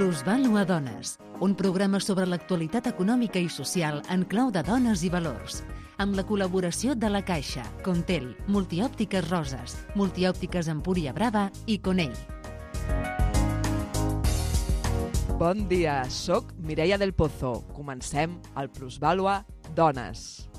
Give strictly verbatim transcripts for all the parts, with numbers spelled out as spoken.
Plusvàlua Dones, un programa sobre l'actualitat econòmica i social en clau de dones i valors, amb la col·laboració de La Caixa, Contel, Multiòptiques Roses, Multiòptiques Empúria Brava i Conell. Bon dia, soc Mireia del Pozo. Comencem el Plusvàlua Dones.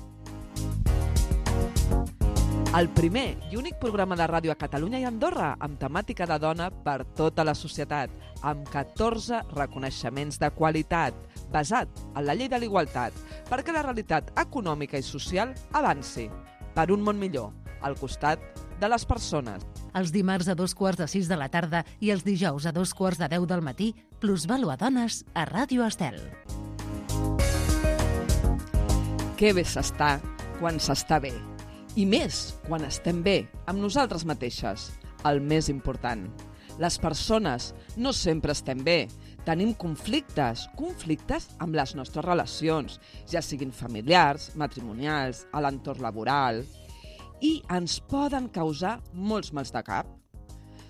El primer i únic programa de ràdio a Catalunya i Andorra amb temàtica de dona per tota la societat, amb catorze reconeixements de qualitat, basat en la llei de l'igualtat, perquè la realitat econòmica i social avanci per un món millor, al costat de les persones. Els dimarts a dos quarts de sis de la tarda i els dijous a dos quarts de deu del matí, Plusvàlua Dones a Ràdio Estel. Que bé s'està quan s'està bé. I més quan estem bé, amb nosaltres mateixes. El més important. Les persones no sempre estem bé. Tenim conflictes, conflictes amb les nostres relacions, ja siguin familiars, matrimonials, a l'entorn laboral, i ens poden causar molts mals de cap.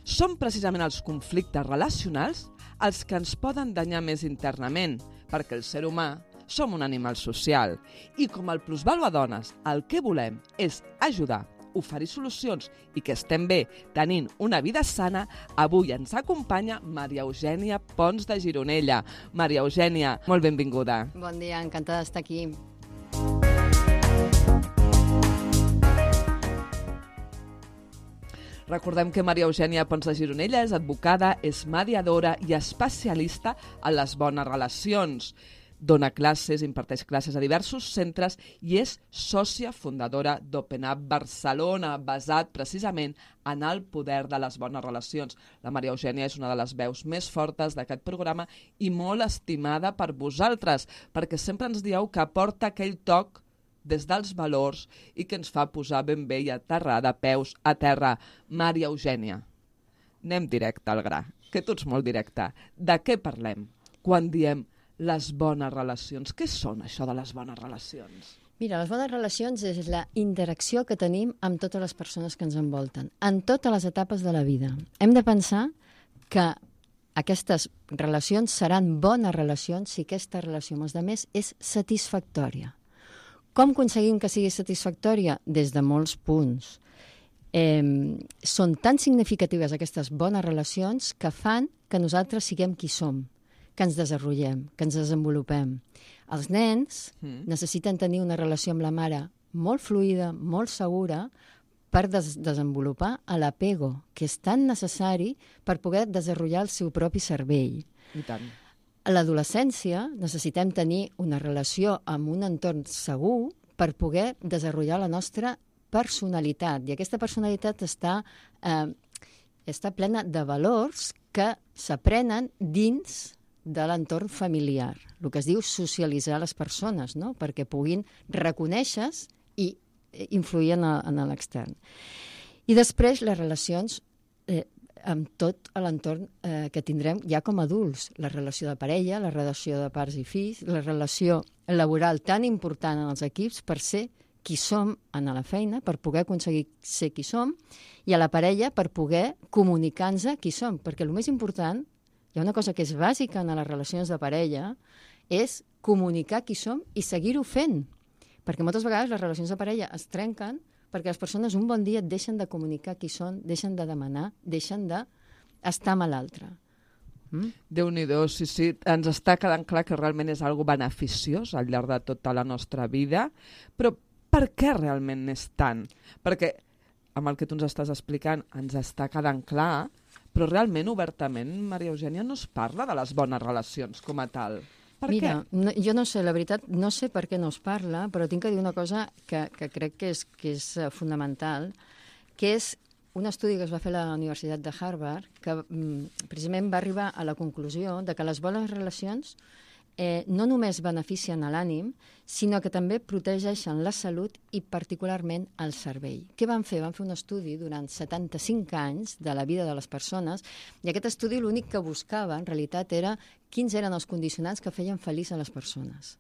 Són precisament els conflictes relacionals els que ens poden danyar més internament, perquè el ser humà som un animal social i com el Plusvàlua Dones el que volem és ajudar, oferir solucions i que estem bé tenint una vida sana, avui ens acompanya Maria Eugènia Pons de Gironella. Maria Eugènia, molt benvinguda. Bon dia, encantada d'estar aquí. Recordem que Maria Eugènia Pons de Gironella és advocada, és mediadora i especialista en les bones relacions. Dona classes, imparteix classes a diversos centres i és sòcia fundadora d'Open Up Barcelona, basat precisament en el poder de les bones relacions. La Maria Eugènia és una de les veus més fortes d'aquest programa i molt estimada per vosaltres, perquè sempre ens dieu que aporta aquell toc des dels valors i que ens fa posar ben bé i aterrar de peus a terra. Maria Eugènia, anem directe al gra, que tu ets molt directa. De què parlem quan diem les bones relacions? Què són això de les bones relacions? Mira, les bones relacions és la interacció que tenim amb totes les persones que ens envolten, en totes les etapes de la vida. Hem de pensar que aquestes relacions seran bones relacions si aquesta relació amb els altres és satisfactòria. Com aconseguim que sigui satisfactòria? Des de molts punts. Eh, són tan significatives aquestes bones relacions que fan que nosaltres siguem qui som, que ens desenvolupem, que ens desenvolupem. Els nens mm. necessiten tenir una relació amb la mare molt fluida, molt segura, per des desenvolupar l'apego, que és tan necessari per poder desenvolupar el seu propi cervell. I tant. A l'adolescència necessitem tenir una relació amb un entorn segur per poder desenvolupar la nostra personalitat. I aquesta personalitat està, eh, està plena de valors que s'aprenen dins de l'entorn familiar, el que es diu socialitzar les persones, no? Perquè puguin reconèixer i influir en, en l'extern. I després les relacions eh, amb tot l'entorn eh, que tindrem ja com a adults, la relació de parella, la relació de pares i fills, la relació laboral tan important en els equips per ser qui som en la feina, per poder aconseguir ser qui som, i a la parella per poder comunicar-nos qui som, perquè el més important, hi ha una cosa que és bàsica en les relacions de parella, és comunicar qui som i seguir-ho fent. Perquè moltes vegades les relacions de parella es trenquen perquè les persones un bon dia et deixen de comunicar qui són, deixen de demanar, deixen d'estar amb l'altre. Mm? Déu-n'hi-do, sí, sí, ens està quedant clar que realment és algo beneficiós al llarg de tota la nostra vida, però per què realment n'és tant? Perquè amb el que tu ens estàs explicant ens està quedant clar, però realment, obertament, Maria Eugènia, no es parla de les bones relacions com a tal. Per Mira, què? No, jo no sé, la veritat, no sé per què no es parla, però tinc que dir una cosa que, que crec que és, que és fonamental, que és un estudi que es va fer a la Universitat de Harvard, que mm, precisament va arribar a la conclusió de que les bones relacions eh, no només beneficien a l'ànim, sinó que també protegeixen la salut i particularment el cervell. Què van fer? Van fer un estudi durant setanta-cinc anys de la vida de les persones i aquest estudi l'únic que buscava en realitat era quins eren els condicionants que feien feliç a les persones.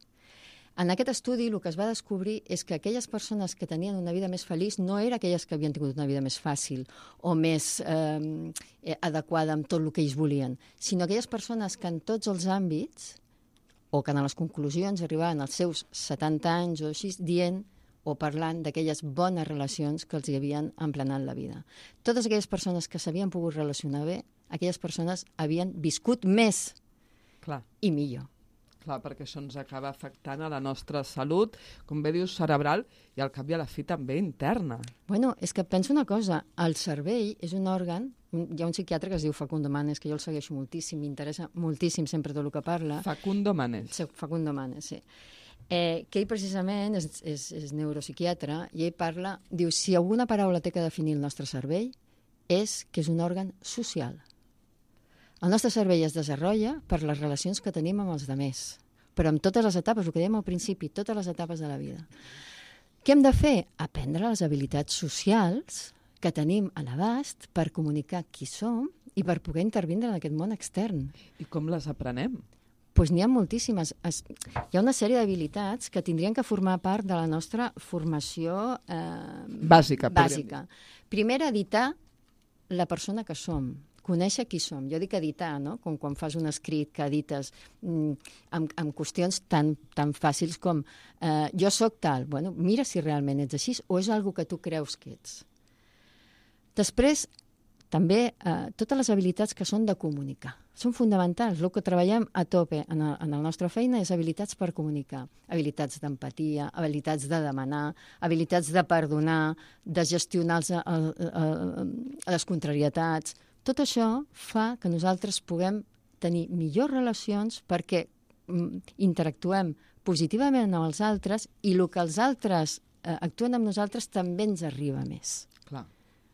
En aquest estudi el que es va descobrir és que aquelles persones que tenien una vida més feliç no eren aquelles que havien tingut una vida més fàcil o més eh, adequada amb tot el que ells volien, sinó aquelles persones que en tots els àmbits, o que en les conclusions arribaven als seus setanta anys o així, dient o parlant d'aquelles bones relacions que els hi havien emplenat la vida. Totes aquelles persones que s'havien pogut relacionar bé, aquelles persones havien viscut més Clar. i millor. Clar, perquè això ens acaba afectant a la nostra salut, com bé dius, cerebral, i al cap i a la fi també interna. Bueno, és que penso una cosa, el cervell és un òrgan, un, hi ha un psiquiatre que es diu Facundo Manes, que jo el segueixo moltíssim, m'interessa moltíssim sempre tot el que parla. Facundo Manes. Sí, Facundo Manes, sí. Eh, que ell precisament és, és, és neuropsiquiatre i ell parla, diu, si alguna paraula té que definir el nostre cervell és que és un òrgan social. El nostre cervell es desenvolupa per les relacions que tenim amb els altres, però amb totes les etapes, el que dèiem al principi, totes les etapes de la vida. Què hem de fer? Aprendre les habilitats socials que tenim a l'abast per comunicar qui som i per poder intervindre en aquest món extern. I com les aprenem? Doncs n'hi ha moltíssimes. Es, hi ha una sèrie d'habilitats que tindrien que formar part de la nostra formació eh, bàsica. bàsica. Primera, editar la persona que som, conèixer qui som. Jo dic editar, no? Com quan fas un escrit que edites mm, amb, amb qüestions tan, tan fàcils com eh, jo sóc tal. Bueno, mira si realment ets així o és algo que tu creus que ets. Després, també eh, totes les habilitats que són de comunicar. Són fonamentals. El que treballem a tope en, el, en la nostra feina és habilitats per comunicar. Habilitats d'empatia, habilitats de demanar, habilitats de perdonar, de gestionar els, el, el, les contrarietats. Tot això fa que nosaltres puguem tenir millors relacions perquè mm, interactuem positivament amb els altres i el que els altres eh, actuen amb nosaltres també ens arriba més. Clar.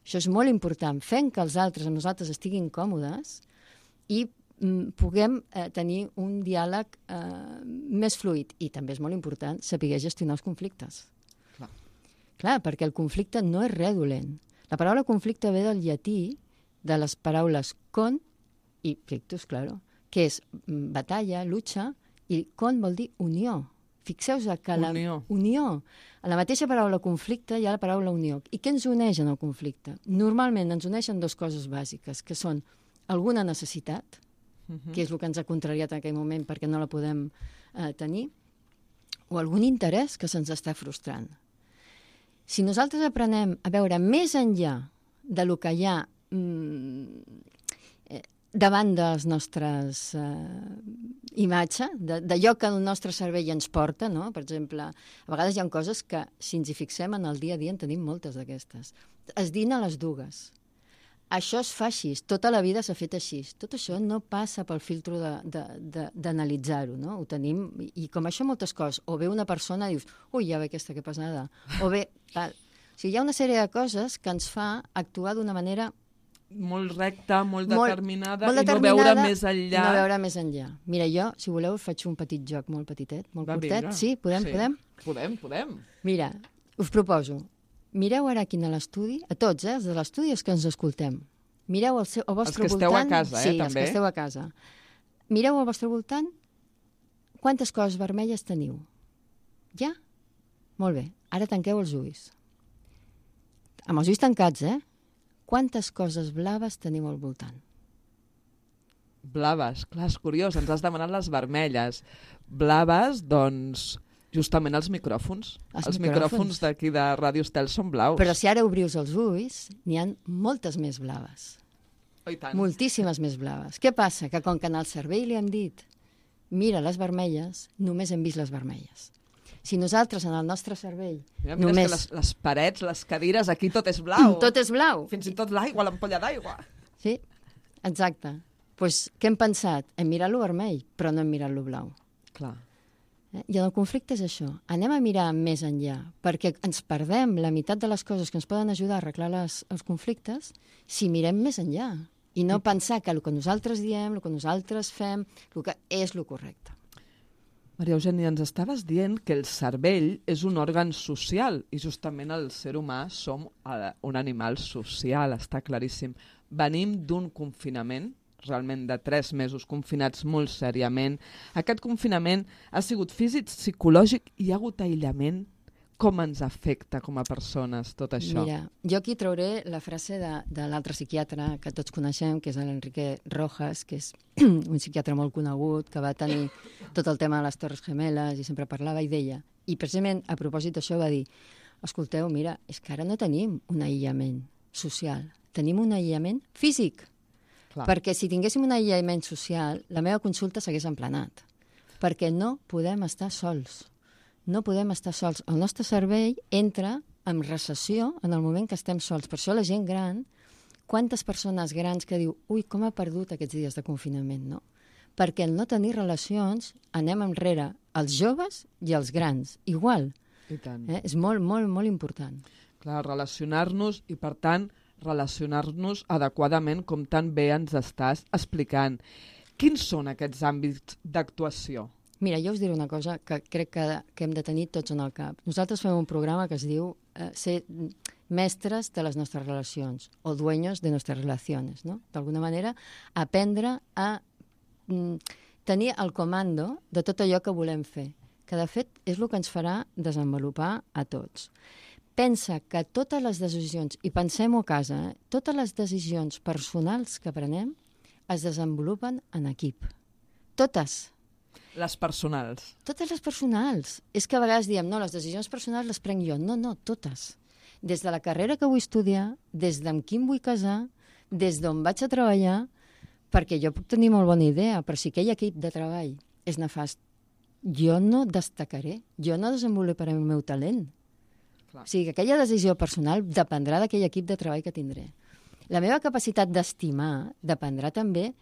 Això és molt important, fent que els altres amb nosaltres estiguin còmodes i mm, puguem eh, tenir un diàleg eh, més fluid. I també és molt important saber gestionar els conflictes. Clar. Clar, perquè el conflicte no és res dolent. La paraula conflicte ve del llatí, de les paraules con i plictus, claro, que és batalla, lucha, i con vol dir unió. Fixeu-vos que la unió. unió, a la mateixa paraula conflicte hi ha la paraula unió. I què ens uneix en el conflicte? Normalment ens uneixen dues coses bàsiques, que són alguna necessitat, uh-huh. que és el que ens ha contrariat en aquell moment perquè no la podem eh, tenir, o algun interès que se'ns està frustrant. Si nosaltres aprenem a veure més enllà de lo que hi ha davant de les nostres eh, imatges, d'allò que el nostre cervell ens porta, no? Per exemple, a vegades hi ha coses que, si ens hi fixem en el dia a dia, en tenim moltes d'aquestes. Es dina a les dues. Això es fa així, tota la vida s'ha fet així. Tot això no passa pel filtro d'analitzar-ho, no? Ho tenim, i com això moltes coses. O ve una persona i dius, ui, ja ve aquesta que passada. O ve tal. O sigui, hi ha una sèrie de coses que ens fa actuar d'una manera molt recta, molt, molt determinada, molt i determinada, no veure més enllà. No veure més enllà. Mira, jo, si voleu, faig un petit joc molt petitet, molt Va, curtet. vinga. Sí, podem, sí. podem? Podem, podem. Mira, us proposo, mireu ara aquí a l'estudi, a tots, eh, els de l'estudi, els que ens escoltem. Mireu al, seu, al vostre voltant... Els que esteu voltant, a casa, eh, sí, també. els que esteu a casa. Mireu al vostre voltant quantes coses vermelles teniu. Ja? Molt bé. Ara tanqueu els ulls. Amb els ulls tancats, eh? Quantes coses blaves teniu al voltant? Blaves, clar, és curiós, ens has demanat les vermelles. Blaves, doncs, justament els micròfons. Els els micròfons. micròfons d'aquí de Ràdio Estel són blaus. Però si ara obrius els ulls, n'hi ha moltes més blaves. Oh, i tant. Moltíssimes més blaves. Què passa? Que com que en el cervell li hem dit mira les vermelles, només hem vist les vermelles. Si nosaltres, en el nostre cervell, Mira, mira només... les, les parets, les cadires, aquí tot és blau. Tot és blau. Fins i tot l'aigua, l'ampolla d'aigua. Sí, exacte. Doncs pues, què hem pensat? Hem mirat-lo vermell, però no hem mirat-lo blau. Clar. Eh? I en el conflicte és això. Anem a mirar més enllà, perquè ens perdem la meitat de les coses que ens poden ajudar a arreglar les, els conflictes si mirem més enllà. I no pensar que el que nosaltres diem, el que nosaltres fem, el que és el correcte. Maria Eugènia, ens estaves dient que el cervell és un òrgan social i justament el ser humà som un animal social, està claríssim. Venim d'un confinament, realment de tres mesos confinats molt seriament. Aquest confinament ha sigut físic, psicològic i hi ha hagut aïllament. Com ens afecta com a persones tot això? Mira, jo aquí trauré la frase de, de l'altre psiquiatre que tots coneixem, que és l'Enrique Rojas, que és un psiquiatre molt conegut, que va tenir tot el tema de les Torres Gemeles i sempre parlava i deia, i precisament a propòsit d'això va dir, escolteu, mira, és que ara no tenim un aïllament social, tenim un aïllament físic. Clar. Perquè si tinguéssim un aïllament social, la meva consulta s'hagués emplenat, perquè no podem estar sols. No podem estar sols. El nostre cervell entra en recessió en el moment que estem sols. Per això la gent gran, quantes persones grans que diu ui, com ha perdut aquests dies de confinament, no? Perquè el no tenir relacions anem enrere els joves i els grans. Igual. I tant. Eh? És molt, molt, molt important. Clar, relacionar-nos i, per tant, relacionar-nos adequadament, com tan bé ens estàs explicant. Quins són aquests àmbits d'actuació? Mira, jo us diré una cosa que crec que, que hem de tenir tots en el cap. Nosaltres fem un programa que es diu eh, ser mestres de les nostres relacions o dueños de nuestras relaciones, no? D'alguna manera, aprendre a mm, tenir el comando de tot allò que volem fer, que de fet és el que ens farà desenvolupar a tots. Pensa que totes les decisions, i pensem-ho a casa, eh, totes les decisions personals que prenem es desenvolupen en equip. Totes. Les personals. Totes les personals. És que a vegades diem, no, les decisions personals les prenc jo. No, no, totes. Des de la carrera que vull estudiar, des d'amb qui em vull casar, des d'on vaig a treballar, perquè jo puc tenir molt bona idea, però si aquell equip de treball és nefast, jo no destacaré, jo no desenvoluparé el meu talent. Clar. O sigui, que aquella decisió personal dependrà d'aquell equip de treball que tindré. La meva capacitat d'estimar dependrà també,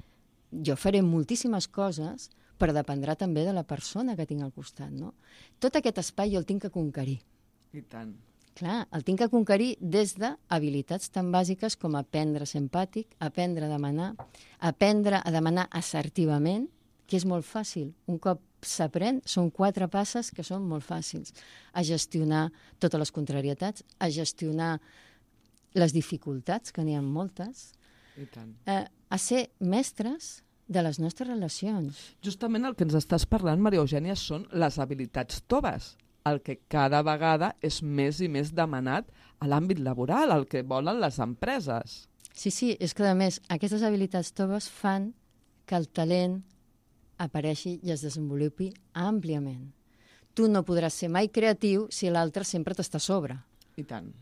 jo faré moltíssimes coses, però dependrà també de la persona que tinc al costat, no? Tot aquest espai jo el tinc que conquerir. I tant. Clar, el tinc que conquerir des d'habilitats tan bàsiques com aprendre a ser empàtic, aprendre a demanar, aprendre a demanar assertivament, que és molt fàcil. Un cop s'aprèn, són quatre passes que són molt fàcils. A gestionar totes les contrarietats, a gestionar les dificultats, que n'hi ha moltes, I tant. Eh, a ser mestres de les nostres relacions. Justament el que ens estàs parlant, Maria Eugènia, són les habilitats toves, el que cada vegada és més i més demanat a l'àmbit laboral, el que volen les empreses. Sí, sí, és que a més aquestes habilitats toves fan que el talent apareixi i es desenvolupi àmpliament. Tu no podràs ser mai creatiu si l'altre sempre t'està a sobre. I tant.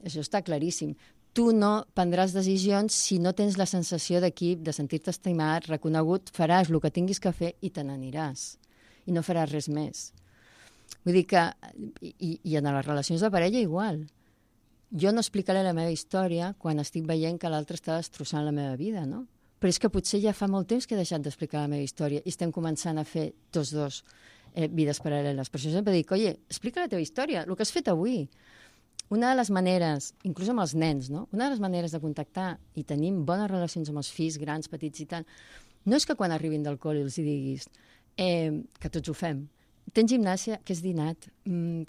Això està claríssim. Tu no prendràs decisions si no tens la sensació d'equip, de sentir-te estimat, reconegut, faràs el que tinguis que fer i te n'aniràs. I no faràs res més. Vull dir que, i, i en les relacions de parella igual. Jo no explicaré la meva història quan estic veient que l'altre està destrossant la meva vida, no? Però és que potser ja fa molt temps que he deixat d'explicar la meva història i estem començant a fer tots dos eh, vides paral·leles. Per això sempre dic, oye, explica la teva història, el que has fet avui. Una de les maneres, inclús amb els nens, no? Una de les maneres de contactar i tenim bones relacions amb els fills grans, petits i tal, no és que quan arribin del col·le els diguis eh, que tots ho fem. Tens gimnàsia, que és dinat,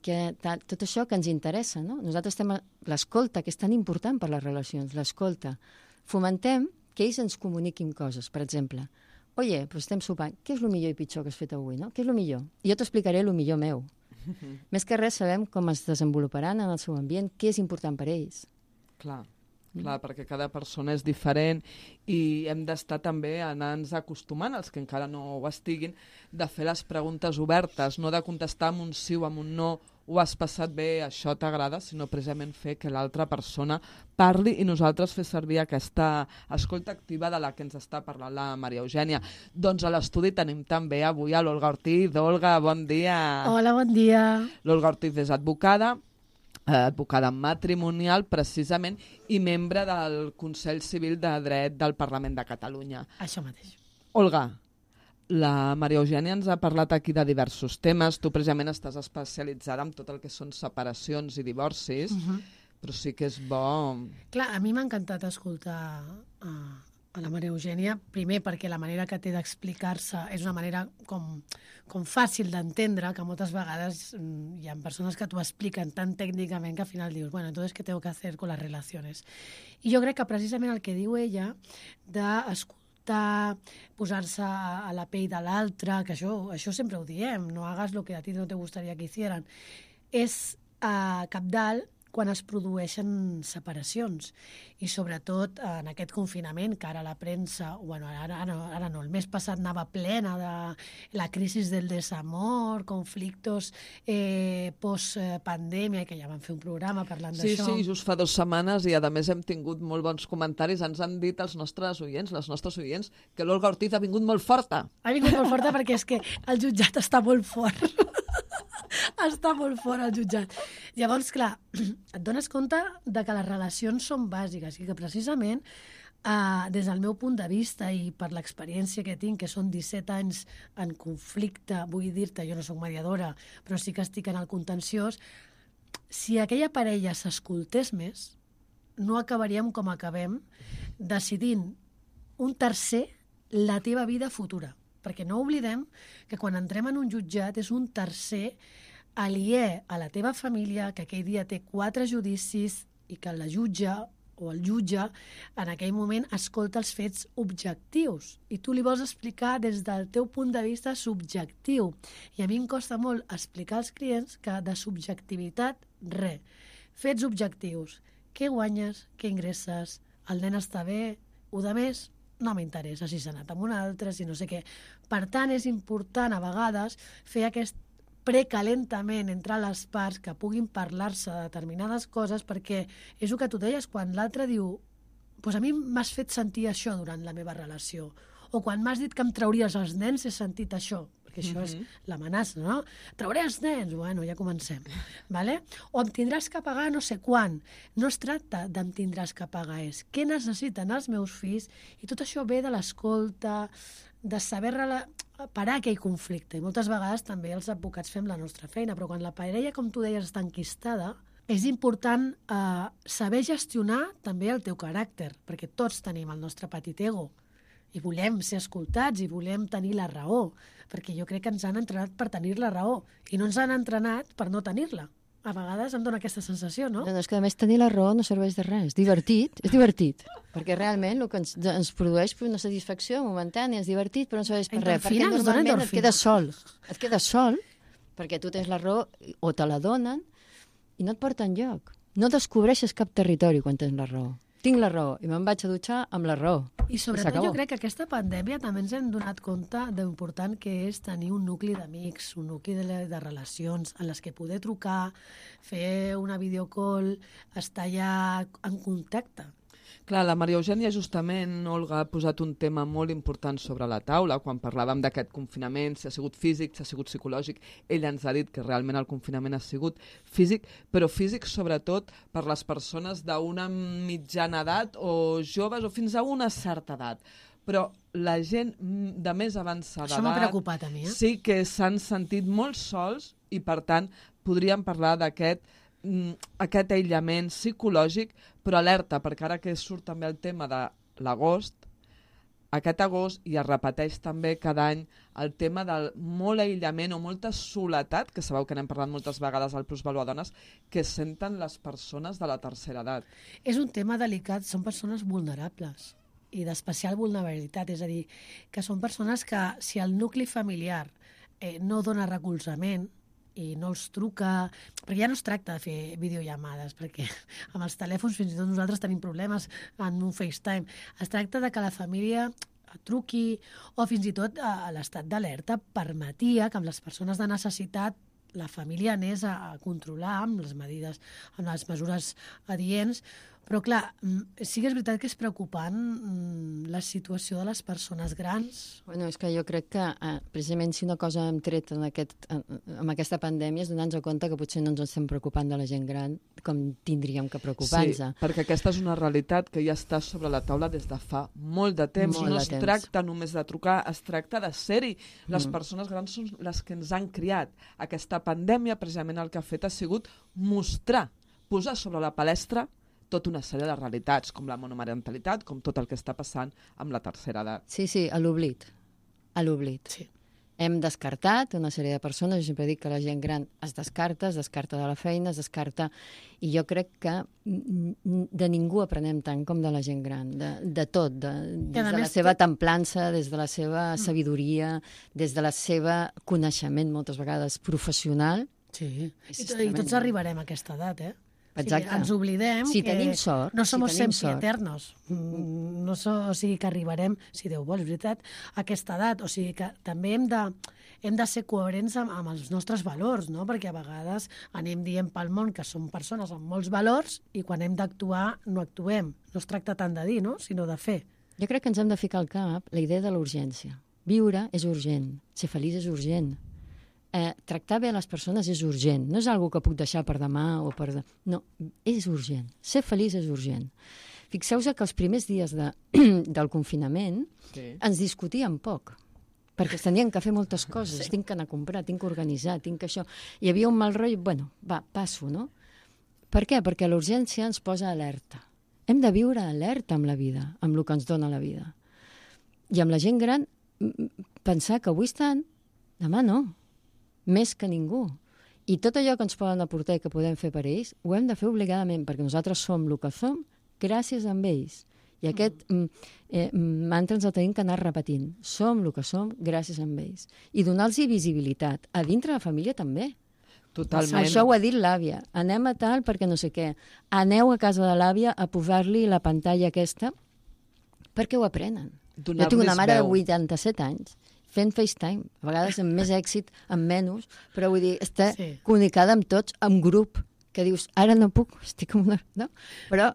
que tal, tot això que ens interessa, no? Nosaltres estem a l'escolta, que és tan important per les relacions, l'escolta. Fomentem que ells ens comuniquin coses, per exemple. Oye, però estem sopant, què és el millor i pitjor que has fet avui, no? Què és el millor? I jo t'explicaré el millor meu. Mm-hmm. Més que res sabem com es desenvoluparan en el seu ambient, què és important per ells. Clar, clar, perquè cada persona és diferent i hem d'estar també anant-nos acostumant, els que encara no ho estiguin, de fer les preguntes obertes, no de contestar amb un sí o amb un no, ho has passat bé, això t'agrada, sinó precisament fer que l'altra persona parli i nosaltres fer servir aquesta escolta activa de la que ens està parlant la Maria Eugènia. Doncs a l'estudi tenim també avui a l'Olga Ortiz. Olga, bon dia. Hola, bon dia. L'Olga Ortiz és advocada, advocada matrimonial precisament i membre del Consell Civil de Dret del Parlament de Catalunya. Això mateix. Olga, la Maria Eugènia ens ha parlat aquí de diversos temes. Tu precisament estàs especialitzada en tot el que són separacions i divorcis, uh-huh. però sí que és bo... Clar, a mi m'ha encantat escoltar uh, a la Maria Eugènia, primer perquè la manera que té d'explicar-se és una manera com, com fàcil d'entendre, que moltes vegades um, hi ha persones que t'ho expliquen tan tècnicament que al final dius, bueno, entonces, ¿qué tengo que hacer con las relaciones? I jo crec que precisament el que diu ella d'escoltar empatar, posar-se a la pell de l'altre, que això, això sempre ho diem, no hagas lo que a ti no te gustaría que hicieran. És eh, cabdal quan es produeixen separacions. I sobretot en aquest confinament, que ara la premsa, bueno, ara, ara, ara no, el mes passat anava plena de la crisi del desamor, conflictos eh, post-pandèmia, que ja vam fer un programa parlant sí, d'això. Sí, sí, just fa dues setmanes i a més hem tingut molt bons comentaris. Ens han dit els nostres oients, les nostres oients, que l'Olga Ortiz ha vingut molt forta. Ha vingut molt forta perquè és que el jutjat està molt fort. Està molt fort el jutjat. Llavors, clar, et dones compte de que les relacions són bàsiques i que precisament eh, des del meu punt de vista i per l'experiència que tinc, que són disset anys en conflicte, vull dir-te, jo no soc mediadora, però sí que estic en el contenciós, si aquella parella s'escoltés més, no acabaríem com acabem, decidint un tercer la teva vida futura. Perquè no oblidem que quan entrem en un jutjat és un tercer aliè a la teva família, que aquell dia té quatre judicis i que la jutge o el jutge en aquell moment escolta els fets objectius i tu li vols explicar des del teu punt de vista subjectiu. I a mi em costa molt explicar als clients que de subjectivitat, res. Fets objectius. Què guanyes? Què ingresses? El nen està bé? O de més? No m'interessa si s'ha anat amb un altre, si no sé què. Per tant, és important a vegades fer aquest precalentament entre les parts que puguin parlar-se de determinades coses, perquè és el que tu deies, quan l'altre diu pues a mi m'has fet sentir això durant la meva relació, o quan m'has dit que em trauries els nens he sentit això, perquè això mm-hmm. és l'amenaça, no? Trauré els nens, bueno, ja comencem. Vale? O em tindràs que pagar no sé quan. No es tracta d'em tindràs que pagar, és què necessiten els meus fills, i tot això ve de l'escolta, de saber rela... parar aquell conflicte. I moltes vegades també els advocats fem la nostra feina, però quan la parella, com tu deies, està enquistada, és important eh, saber gestionar també el teu caràcter, perquè tots tenim el nostre petit ego, i volem ser escoltats i volem tenir la raó, perquè jo crec que ens han entrenat per tenir la raó, i no ens han entrenat per no tenir-la. A vegades em dona aquesta sensació, no? No, no, és que a més tenir la raó no serveix de res. És divertit, és divertit. Perquè realment el que ens, ens produeix una satisfacció momentània, és divertit, però no serveix per res. Perquè normalment et quedes sol. Et quedes sol perquè tu tens la raó o te la donen i no et porta enlloc. No descobreixes cap territori quan tens la raó. Tinc la raó i me'n vaig a dutxar amb la raó. I sobretot jo crec que aquesta pandèmia també ens hem donat compte d'important que és tenir un nucli d'amics, un nucli de, de relacions en les que poder trucar, fer una videocall, estar ja en contacte. Clar, la Maria Eugènia justament, Olga, ha posat un tema molt important sobre la taula quan parlàvem d'aquest confinament, si ha sigut físic, si ha sigut psicològic. Ella ens ha dit que realment el confinament ha sigut físic, però físic sobretot per les persones d'una mitjana edat o joves o fins a una certa edat. Però la gent de més avançada Això m'ha preocupat a mi, eh? Sí que s'han sentit molt sols i, per tant, podríem parlar d'aquest aquest aïllament psicològic, però alerta, perquè ara que surt també el tema de l'agost, aquest agost, i es repeteix també cada any, el tema del molt aïllament o molta soledat, que sabeu que n'hem parlat moltes vegades al Plusvalor Dones, que senten les persones de la tercera edat. És un tema delicat, són persones vulnerables i d'especial vulnerabilitat, és a dir, que són persones que si el nucli familiar eh, no dona recolzament, i no els truca, perquè ja no es tracta de fer videollamades, perquè amb els telèfons fins i tot nosaltres tenim problemes en un FaceTime. Es tracta de que la família truqui o fins i tot a l'estat d'alerta permetia que amb les persones de necessitat la família anés a controlar amb les medides, amb les mesures adients. Però, clar, sí que és veritat que és preocupant la situació de les persones grans. Bueno, és que jo crec que, eh, precisament, si una cosa hem tret en aquest, en, amb aquesta pandèmia és donar-nos compte que potser no ens estem preocupant de la gent gran com tindríem que preocupar-nos. Sí, perquè aquesta és una realitat que ja està sobre la taula des de fa molt de temps. Molt no de es temps. tracta només de trucar, es tracta de ser-hi. Les mm. persones grans són les que ens han criat. Aquesta pandèmia, precisament, el que ha fet ha sigut mostrar, posar sobre la palestra tota una sèrie de realitats, com la monomarentalitat, com tot el que està passant amb la tercera edat. Sí, sí, a l'oblit. A l'oblit. Sí. hem descartat una sèrie de persones. Jo sempre dic que la gent gran es descarta, es descarta de la feina, es descarta... I jo crec que de ningú aprenem tant com de la gent gran, de, de tot, de, des de la seva templança, des de la seva sabidoria, des de la seva coneixement, moltes vegades professional. Sí, i, i tots arribarem a aquesta edat, eh? Exacte. O sigui, ens oblidem si que tenim sort, no som si tenim sempre sort. eternos. No so, o sigui que arribarem, si Déu vol, és veritat, a aquesta edat. O sigui que també hem de, hem de ser coherents amb, amb els nostres valors, no? Perquè a vegades anem dient pel món que som persones amb molts valors i quan hem d'actuar no actuem. No es tracta tant de dir, no? Sinó de fer. Jo crec que ens hem de ficar al cap la idea de la urgència. Viure és urgent, ser feliç és urgent. Eh, tractar bé a les persones és urgent. No és algo que puc deixar per demà o per... De... No, és urgent. Ser feliç és urgent. Fixeu-vos que els primers dies de, del confinament sí. ens discutíem poc, perquè es tenien que fer moltes coses. Sí. Tinc que anar a comprar, tinc que organitzar, tinc que això... Hi havia un mal rotllo, bueno, va, passo, no? Per què? Perquè la urgència ens posa alerta. Hem de viure alerta amb la vida, amb el que ens dona la vida. I amb la gent gran, pensar que avui estan, demà no. Més que ningú. I tot allò que ens poden aportar i que podem fer per ells, ho hem de fer obligadament, perquè nosaltres som el que som gràcies a ells. I aquest mm. eh, mantra ens el tenim que anar repetint. Som el que som gràcies a ells. I donar-los visibilitat. A dintre de la família també. Totalment. Això ho ha dit l'àvia. Anem a tal perquè no sé què. Aneu a casa de l'àvia a posar-li la pantalla aquesta perquè ho aprenen. Jo tinc una mare de vuitanta-set anys fent FaceTime, a vegades amb més èxit, amb menys, però vull dir, està sí. comunicada amb tots, amb grup, que dius, ara no puc, estic amb una... No? Però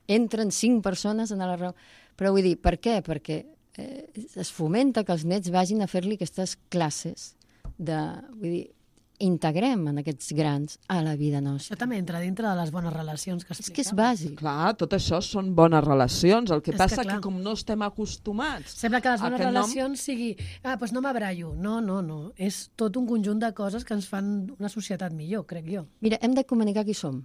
entren cinc persones en la reunió. Però vull dir, per què? Perquè eh, es fomenta que els nets vagin a fer-li aquestes classes de... Vull dir, integrem en aquests grans a la vida nostra. Això també entra dintre de les bones relacions que explicava. És que és bàsic. Clar, tot això són bones relacions. El que és passa que, que, que com no estem acostumats... Sembla que les bones relacions nom... sigui... Ah, doncs no m'abraio. No, no, no. És tot un conjunt de coses que ens fan una societat millor, crec jo. Mira, hem de comunicar qui som.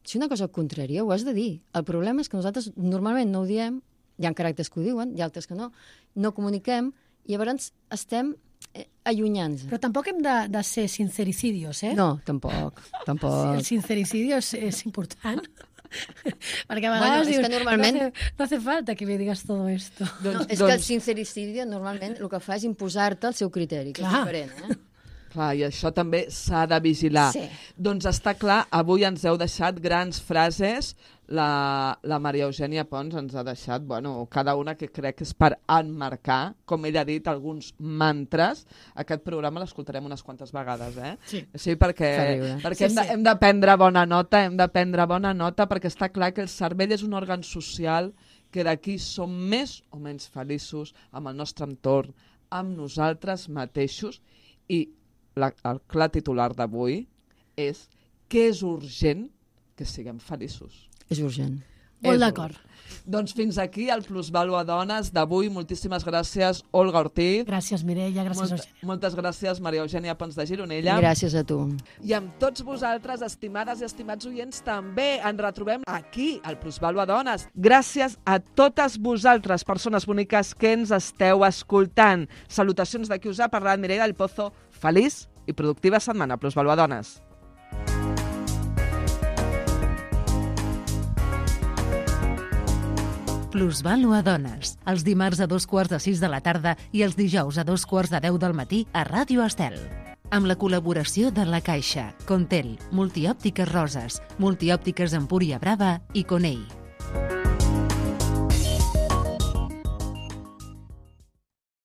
Si una cosa contrària, ho has de dir. El problema és que nosaltres normalment no ho diem, hi ha caràcters que ho diuen, hi ha altres que no, no comuniquem, i llavors estem... Eh, allunyant-se. Però tampoc hem de, de ser sincericidios, eh? No, tampoc, tampoc. El sincericidio és, és important. Perquè a vegades bueno, dius, és que normalment... no, hace, no hace falta que me digas todo esto. Doncs, no, és doncs... que el sincericidio normalment el que fa és imposar-te el seu criteri, que Clar. és diferent, eh? Clar, i això també s'ha de vigilar. Sí. Doncs està clar, avui ens heu deixat grans frases. La, la Maria Eugènia Pons ens ha deixat, bueno, cada una que crec que és per emmarcar, com ella ha dit, alguns mantres. Aquest programa l'escoltarem unes quantes vegades, eh? Sí. Sí, perquè, perquè sí, hem, de, sí. hem de prendre bona nota, hem de prendre bona nota, perquè està clar que el cervell és un òrgan social que d'aquí som més o menys feliços amb el nostre entorn, amb nosaltres mateixos, i La, el clar titular d'avui és que és urgent que siguem feliços. És urgent. Molt d'acord. Doncs fins aquí el Plusvàlua Dones d'avui. Moltíssimes gràcies, Olga Ortiz. Gràcies, Mireia. Gràcies, Molt, Eugènia. Moltes gràcies, Maria Eugènia Pons de Gironella. Gràcies a tu. I amb tots vosaltres, estimades i estimats oients, també ens retrobem aquí, al Plusvàlua Dones. Gràcies a totes vosaltres, persones boniques que ens esteu escoltant. Salutacions de qui us ha parlat, Mireia del Pozo. Feliç i productiva setmana, Plusvàlua Dones. Plusvàlua Dones, els dimarts a dos quarts de sis de la tarda i els dijous a dos quarts de deu del matí a Ràdio Estel. Amb la col·laboració de La Caixa, Contel, Multiòptiques Roses, Multiòptiques Empúria Brava i Conei.